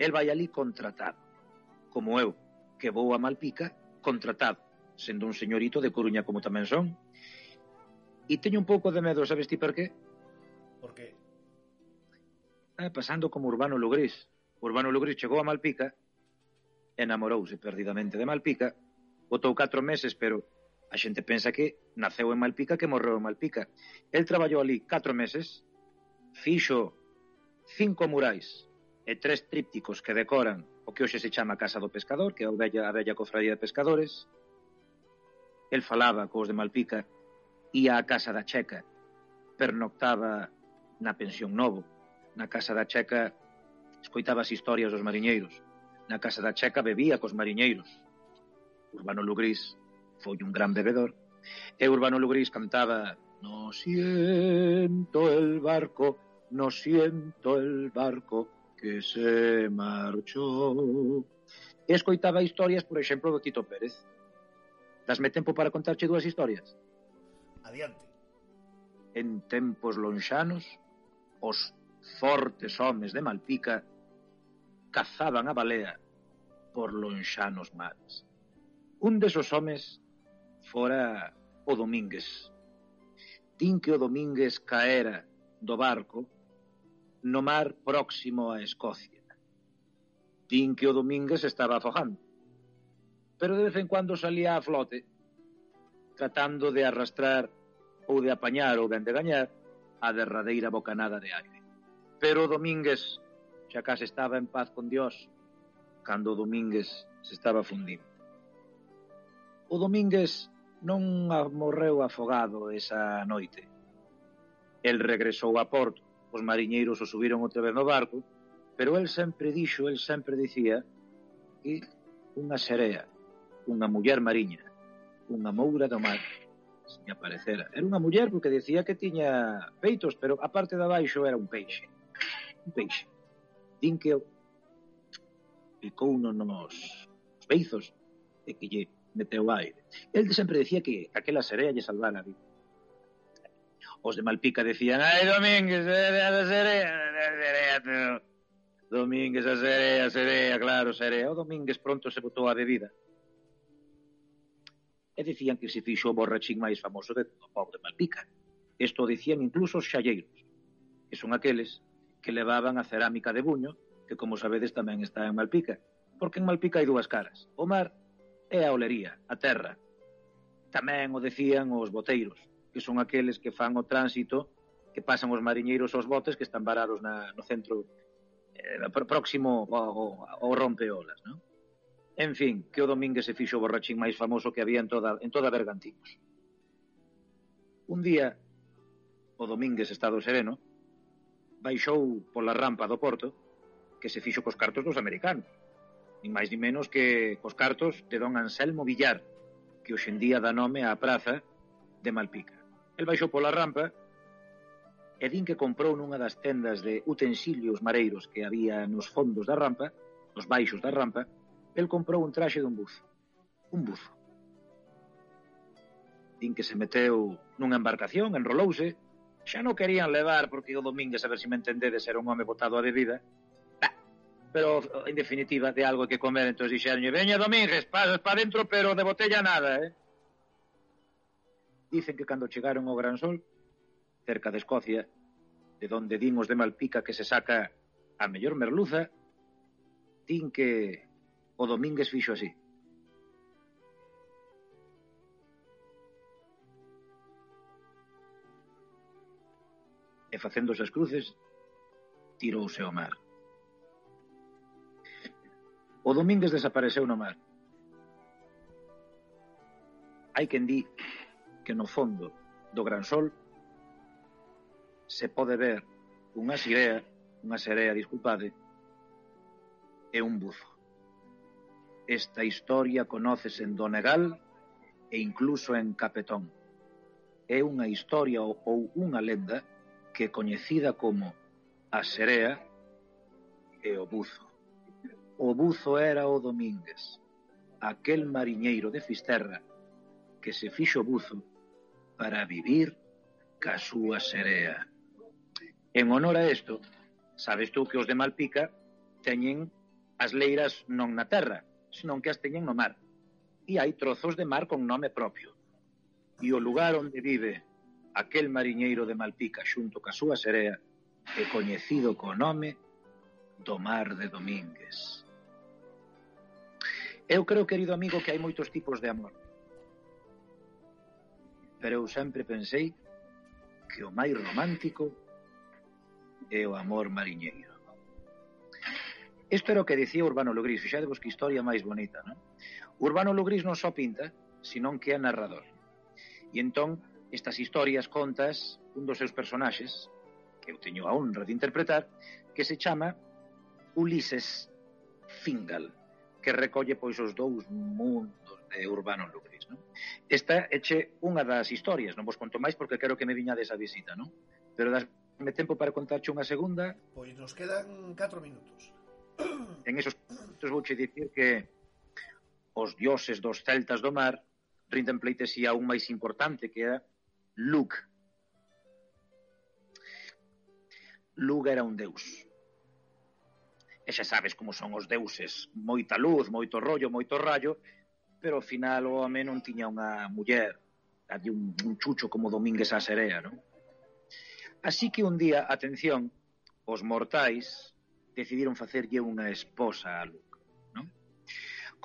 S6: El vai ali contratado. Como eu, que vou a Malpica contratado, sendo un señorito de Coruña como tamén son. E teño un pouco de medo, sabes ti por qué?
S3: Por qué?
S6: Pasando como Urbano Lugrís. Urbano Lugrís chegou a Malpica, enamorouse perdidamente de Malpica, botou 4 meses, pero a xente pensa que naceu en Malpica, que morreu en Malpica. El traballou ali 4 meses, fixo 5 murais e 3 trípticos que decoran o que hoxe se chama Casa do Pescador, que é a bella cofradía de pescadores. El falaba cos de Malpica, ia á Casa da Checa, pernoctaba na Pensión Novo. Na Casa da Checa escoitaba as historias dos mariñeiros. Na Casa da Checa bebía cos mariñeiros. Urbano Lugrís foi un gran bebedor. E Urbano Lugrís cantaba: no siento el barco que se marchó. E escoitaba historias, por exemplo, do Tito Pérez. Dasme tempo para contarche 2 historias?
S3: Adiante.
S6: En tempos lonxanos, os fortes homes de Malpica cazaban a balea por lonxanos mares. Un desos homes fora o Domínguez. Din que o Domínguez caera do barco no mar próximo a Escocia. Din que o Domínguez estaba afogando, pero de vez en cuando salía a flote, tratando de arrastrar ou de apañar ou ben de gañar a derradeira bocanada de aire. Pero o Domínguez xa case estaba en paz con Dios cando o Domínguez se estaba fundindo. O Domínguez non morreu afogado esa noite. El regresou a Porto, os mariñeiros o subiron outra vez no barco, pero el sempre dicía que unha serea, unha muller mariña, unha moura do mar, se me aparecera. Era unha muller porque decía que tiña peitos, pero a parte de abaixo era un peixe. Un peixe. Din que picou nos beizos e que lle meteu aire. El sempre decía que aquela serea lle salvara a vida. Os de Malpica decían: ai, Domínguez, a serea, Domínguez, a serea, claro, serea. O Domínguez pronto se botou a bebida. E dicían que se fixo o borrachín máis famoso de todo o povo de Malpica. Isto dicían incluso os xalleiros, que son aqueles que levaban a cerámica de Buño, que como sabedes tamén está en Malpica, porque en Malpica hai dúas caras. O mar é a olería, a terra. Tamén o decían os boteiros, que son aqueles que fan o tránsito, que pasan os mariñeiros aos botes que están varados no centro próximo ao rompeolas, non? En fin, que o Domínguez se fixo o borrachín máis famoso que había en toda Bergantiños. Un día, o Domínguez, estado sereno, baixou pola rampa do porto que se fixo cos cartos dos americanos. Nin máis ni menos que cos cartos de don Anselmo Villar, que hoxendía dá nome á praza de Malpica. El baixou pola rampa e din que comprou nunha das tendas de utensilios mareiros que había nos fondos da rampa, nos baixos da rampa, el comprou un traxe dun buzo. Un buzo. Din que se meteu nunha embarcación, enrolouse, xa non querían levar porque o Domínguez, a ver se me entendedes, era un home botado a bebida, pero en definitiva de algo que comer, entón dixeron, veña Domínguez, pasas para dentro, pero de botella nada, Dicen que cando chegaron ao Gran Sol, cerca de Escocia, de donde din os de Malpica que se saca a mellor merluza, din que o Domínguez fixo así. E facéndose as cruces, tirouse ao mar. O Domínguez desapareceu no mar. Hai quen di que no fondo do Gran Sol se pode ver unha serea, disculpade, e un buzo. Esta historia conócese en Donegal e incluso en Capetón. É unha historia ou unha lenda que é coñecida como a serea e o buzo. O buzo era o Domínguez, aquel mariñeiro de Fisterra que se fixo buzo para vivir ca súa serea. En honor a isto, sabes tú que os de Malpica teñen as leiras non na terra, senón que as teñen no mar. E hai trozos de mar con nome propio. E o lugar onde vive aquel mariñeiro de Malpica xunto ca súa serea é coñecido co nome do Mar de Domínguez. Eu creo, querido amigo, que hai moitos tipos de amor. Pero eu sempre pensei que o máis romántico é o amor mariñeiro. Isto era o que dicía Urbano Logrís. Fixadevos que historia máis bonita, non? Urbano Logrís non só pinta, senón que é narrador. E entón, estas historias contas un dos seus personaxes, que eu teño a honra de interpretar, que se chama Ulises Fingal, que recolle pois os dous mundos de Urbano Logrís, non? Esta é unha das historias, non vos conto máis porque quero que me viñades a visita, non? Pero dasme tempo para contarche unha segunda.
S3: Pois nos quedan 4 minutos.
S6: En esos vouche dicir que os dioses dos celtas do mar rinden pleitesía a un máis importante que era Lug. Lug era un deus. E xa sabes como son os deuses, moita luz, moito rollo, moito rayo, pero ao final o home non tiña unha muller, había un chucho como Domínguez a serea, non? Así que un día, atención, os mortais decidiron facerlle unha esposa a Lug, non?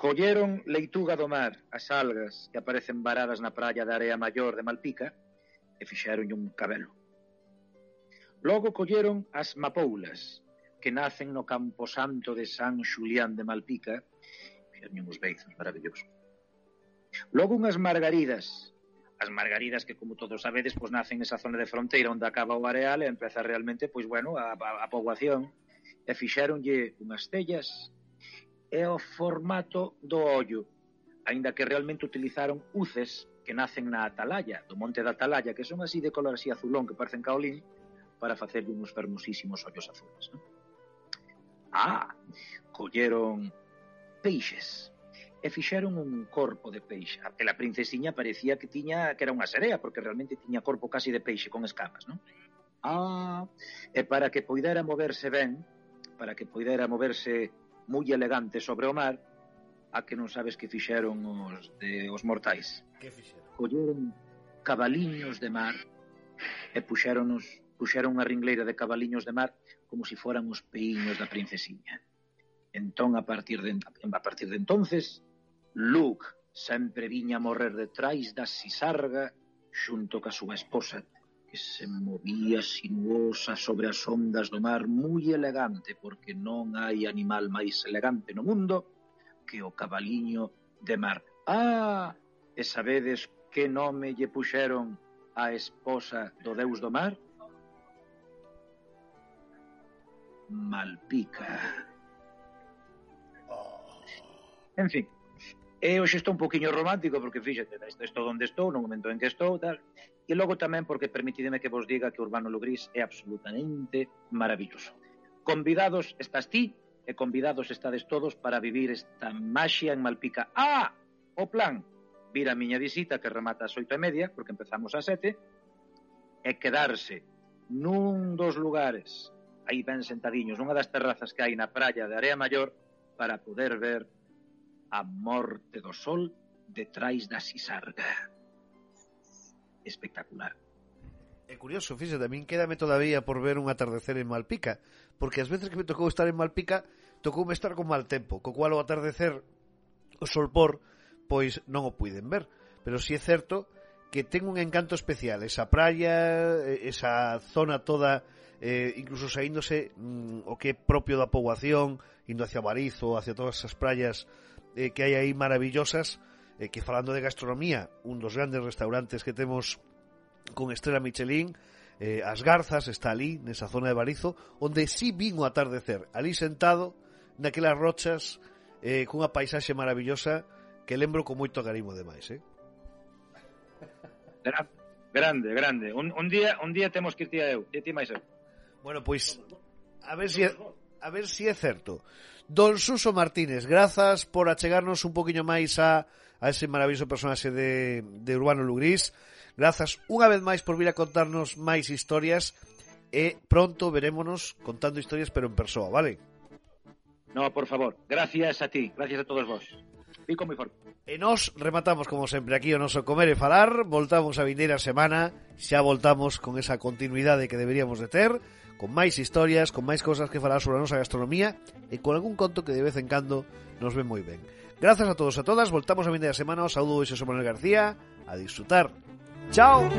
S6: Colleron leituga do mar, as algas que aparecen varadas na praia da Area Maior de Malpica, e fixeronlle un cabelo. Logo colleron as mapoulas, que nacen no camposanto de San Xulián de Malpica, fixeronlle uns beizos maravillosos. Logo unhas margaridas, as margaridas que, como todos sabedes, pois nacen nesa zona de fronteira onde acaba o areal e empeza realmente, pois bueno, a poboación, e fixeronlle unhas tellas e o formato do ollo, aínda que realmente utilizaron uces que nacen na Atalaya, do monte da Atalaya, que son así de color así azulón, que parecen caolín, para facerlle uns fermosísimos ollos azules, non? Colleron peixes e fixeron un corpo de peixe. Aquela princesiña parecía que era unha serea, porque realmente tiña corpo casi de peixe con escamas, non? E para que poidera moverse ben, para que poidera moverse moi elegante sobre o mar, a que non sabes que fixeron os mortais.
S3: Que fixeron?
S6: Colleron cabaliños de mar e puxeron unha ringleira de cabaliños de mar como se foran os peiños da princesiña. Entón, a partir de entonces, Luke sempre viña a morrer detrás da sisarga xunto ca súa esposa, que se movía sinuosa sobre as ondas do mar, moi elegante, porque non hai animal máis elegante no mundo que o cabaliño de mar. E sabedes que nome lle puxeron a esposa do deus do mar? Malpica. En fin, hoxe estou un poquinho romántico porque, fíxate, estou onde estou, no momento en que estou, tal, e logo tamén porque permitideme que vos diga que Urbano Lugrís é absolutamente maravilloso. Convidados estás ti e convidados estades todos para vivir esta maxia en Malpica. O plan, vir a miña visita que remata ás 8:30, porque empezamos ás 7, e quedarse nun dos lugares aí ben sentadiños, nunha das terrazas que hai na praia de Area Maior, para poder ver a morte do sol detrás da sisarga. Espectacular.
S3: É curioso, fíxate, tamén quédame todavía por ver un atardecer en Malpica, porque as veces que me tocou estar en Malpica, tocoume estar con mal tempo, co cual o atardecer, o solpor, pois non o puiden ver. Pero si é certo que ten un encanto especial, esa praia, esa zona toda, incluso saíndose o que é propio da poboación, indo hacia Barizo, hacia todas esas praias que hai aí maravillosas, que falando de gastronomía, un dos grandes restaurantes que temos con estrela Michelin, As Garzas, está ali, nesa zona de Barizo, onde si vin o atardecer, ali sentado, naquelas rochas, cunha paisaxe maravillosa que lembro con moito carinho demais,
S6: Grande. Un día temos que ir ti a eu, e ti máis eu.
S3: Bueno, pois, a ver si é certo. Don Suso Martínez, grazas por achegarnos un poquinho máis a ese maravilloso personaxe de Urbano Lugrís. Grazas unha vez máis por vir a contarnos máis historias e pronto verémonos contando historias pero en persoa, vale?
S6: No, por favor, gracias a ti, gracias a todos vos. Pico moi forte.
S3: E nos rematamos como sempre aquí o noso Comer e Falar. Voltamos a vindeira semana, xa voltamos con esa continuidade que deberíamos de ter, con máis historias, con máis cosas que falar sobre a nosa gastronomía e con algún conto que de vez en cando nos ven moi ben. Grazas a todos e a todas, voltamos a vindeira semana. Os saúdo Xosé Manuel García, a disfrutar. Chao.